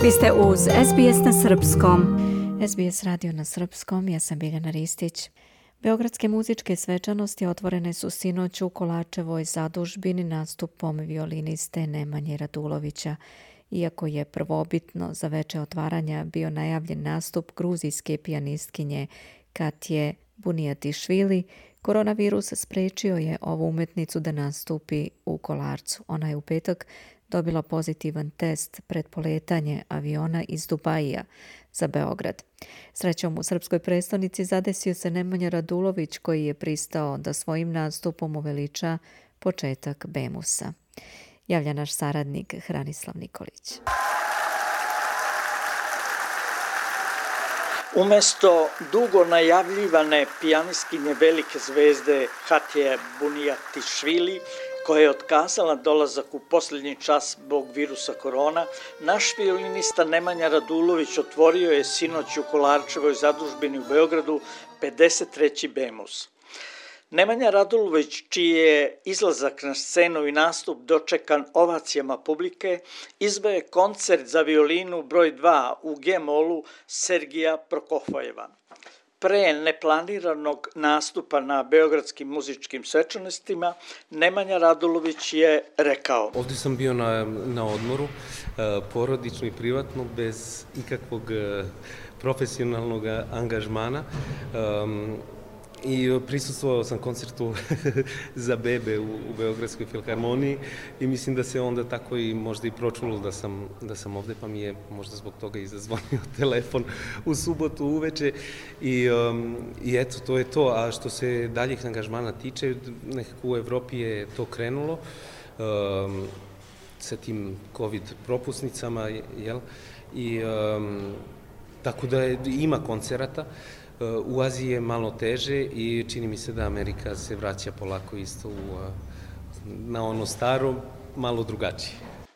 Vi ste uz SBS na srpskom. SBS radio na srpskom, ja sam Biljana Ristić. Beogradske muzičke svečanosti otvorene su sinoć u Kolačevoj zadužbini nastupom violiniste Nemanje Radulovića. Iako je prvobitno za veče otvaranja bio najavljen nastup gruzijske pijanistkinje Katje Bunijatišvili, koronavirus sprečio je ovu umetnicu da nastupi u Kolarcu. Ona je u petak dobila pozitivan test pred poletanje aviona iz Dubajija za Beograd. Srećom, u srpskoj prestonici zadesio se Nemanja Radulović, koji je pristao da svojim nastupom uveliča početak Bemusa. Javlja naš saradnik Hranislav Nikolić. Umesto dugo najavljivane pijanistkinje velike zvezde Katje Bunijatišvili, koja je otkazala dolazak u posljednji čas zbog virusa korona, naš violinista Nemanja Radulović otvorio je sinoć u Kolarčevoj zadužbini u Beogradu 53. Bemus. Nemanja Radulović, čiji je izlazak na scenu i nastup dočekan ovacijama publike, izveo je koncert za violinu broj 2 u G-molu Sergija Prokofjeva. Pre neplaniranog nastupa na beogradskim muzičkim svečanostima, Nemanja Radulović je rekao: Ovdje sam bio na odmoru, porodično i privatno, bez ikakvog profesionalnog angažmana. I prisustvovao sam koncertu za bebe u Beogradskoj filharmoniji i mislim da se onda tako i možda i pročulo da sam ovde, pa mi je možda zbog toga i zazvonio telefon u subotu uveče i eto, to je to. A što se daljih angažmana tiče, nekako u Evropi je to krenulo sa tim COVID propusnicama, jel? I tako da ima koncerata. U Aziji je malo teže i čini mi se da Amerika se vraća polako isto na ono staro, malo drugačije.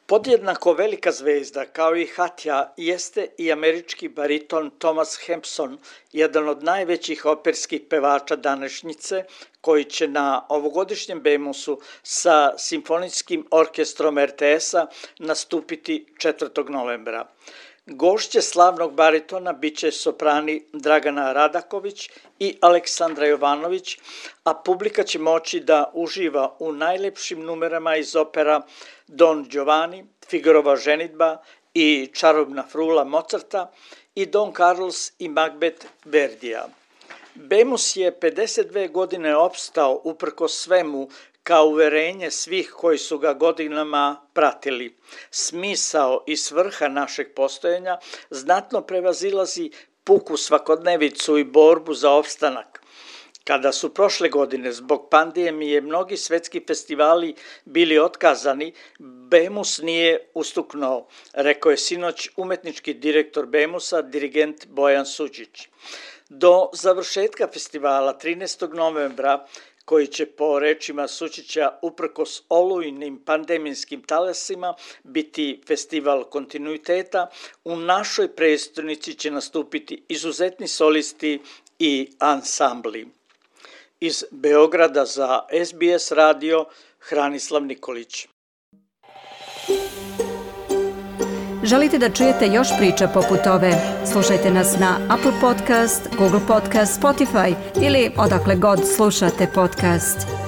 Podjednako velika zvezda, kao i Katja, jeste i američki bariton Thomas Hampson, jedan od najvećih operskih pevača današnjice, koji će na ovogodišnjem Bemusu sa simfonijskim orkestrom RTS-a nastupiti 4. novembra. Gošće slavnog baritona biće soprani Dragana Radaković i Aleksandra Jovanović, a publika će moći da uživa u najlepšim numerama iz opera Don Giovanni, Figarova ženidba i Čarobna frula Mozarta i Don Carlos i Macbeth Verdija. Bemus je 52 godine opstao uprkos svemu, kao uverenje svih koji su ga godinama pratili. Smisao i svrha našeg postojanja znatno prevazilazi puku svakodnevicu i borbu za opstanak. Kada su prošle godine zbog pandemije mnogi svetski festivali bili otkazani, Bemus nije ustuknuo, rekao je sinoć umetnički direktor Bemusa, dirigent Bojan Suđić. Do završetka festivala 13. novembra, koji će po rečima Sučića uprkos olujnim pandemijskim talasima biti festival kontinuiteta, u našoj prestonici će nastupiti izuzetni solisti i ansambli. Iz Beograda za SBS radio, Hranislav Nikolić. Želite da čujete još priča poput ove? Slušajte nas na Apple Podcast, Google Podcast, Spotify ili odakle god slušate podcast.